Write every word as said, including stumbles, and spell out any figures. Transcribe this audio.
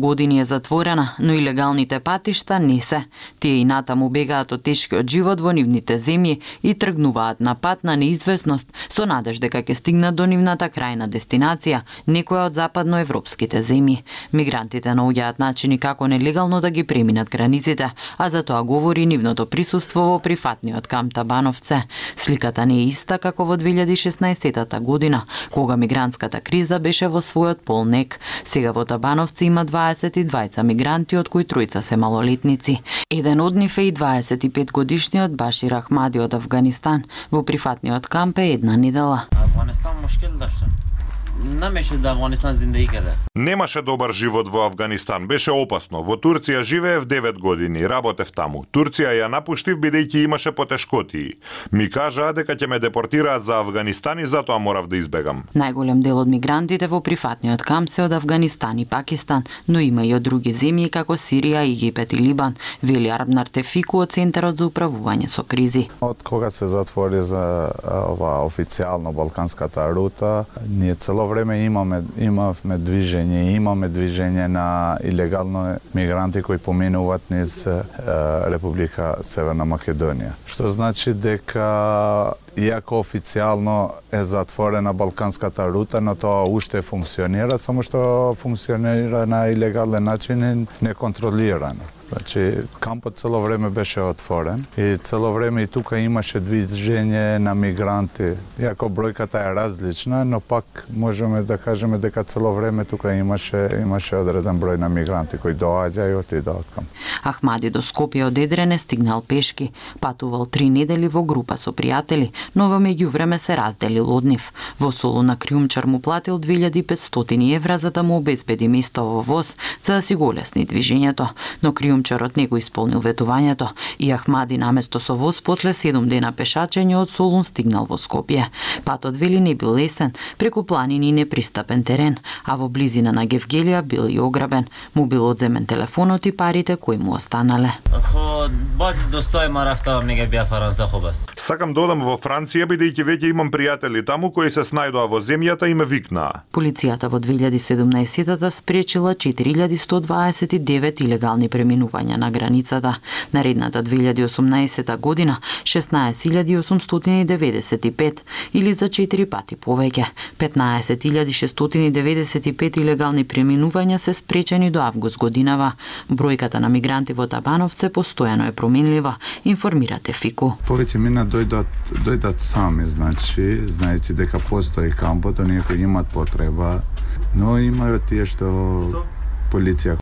години е затворена, но илегалните патишта не се. Тие и натаму бегаат од тешкиот живот во нивните земји и тргнуваат на пат на неизвестност со надеж дека ќе стигнат до нивната крајна дестинација, некоја од западноевропските земји. Мигрантите наоѓаат начини како нелегално да ги преминат границите, а за тоа говори нивното присуство во прифатниот камп Табановце. Сликата не е иста како во две илјади и шеснаесетата година, кога мигрантската криза беше во својот полнек. Сега во Табановци има дваесет и двајца мигранти, од кои тројца се малолетници. Еден од нив е и дваесет и пет годишниот Башир Ахмади од Авганистан. Во прифатниот камп е една недела. Афганистан мушкил даште. Немаше да Афганистан зиндеги каде. Немаше добар живот во Афганистан, беше опасно. Во Турција живеев девет години, работев таму. Турција ја напуштив бидејќи имаше потешкоти. Ми кажаа дека ќе ме депортираат за Афганистан и затоа морав да избегам. Најголем дел од мигрантите во прифатниот камп се од Афганистан и Пакистан, но има и од други земји како Сирија, Египет и Либан, вели Арбнар Тефику од Центарот за управување со кризи. Од кога се затвори за ова официјално балканската рута, ние цело време имаме имавме движење, имаме движење на илегално мигранти кои поминуваат низ е, Република Северна Македонија. Што значи дека иако официјално е затворена балканската рута, но тоа уште функционира, само што функционира на илегален начин и неконтролирано. Значи, кампот цело време беше отворен и цело време и тука имаше движење на мигранти. Иако бројката е различна, но пак можеме да кажеме дека цело време тука имаше имаше одреден број на мигранти кои доаѓаат и отидоа од камп. Ахмади до Скопје од Едрене стигнал пешки, патувал три недели во група со пријатели, но во меѓувреме се разделил од нив. Во Солуна криумчар му платил две илјади и петстотини евра за да му обезбеди место во воз за да си го олесни движењето, но криумчарот не го исполнил ветувањето и Ахмади наместо со воз после седум дена пешачење од Солун стигнал во Скопје. Патот вели не бил лесен, преку планини и непристапен терен, а во близина на Гевгелија бил и ограбен. Му бил одземен телефонот и парите кои му останале. Хо, бац достој ма рафтавам нега бија Франца хобас. Сакам да одам во Франција бидејќи веќе имам пријатели таму кои се снајдоа во земјата и ме викнаа. Полицијата во две илјади и седумнаесетата спречила четири илјади сто дваесет и девет илегални преминувања на границата. Наредната две илјади и осумнаесета година шеснаесет илјади осумстотини деветдесет и пет или за четири пати повеќе. петнаесет илјади шестстотини деветдесет и пет илегални преминувања се спречени до август годинава. Бројката на мигранти во Табановце постојано е променлива, информира Тефику. Повеќе мина дојдат дојдат сами, значи, знаејќи дека постои кампот, оние кои имаат потреба, но има и тие што полиција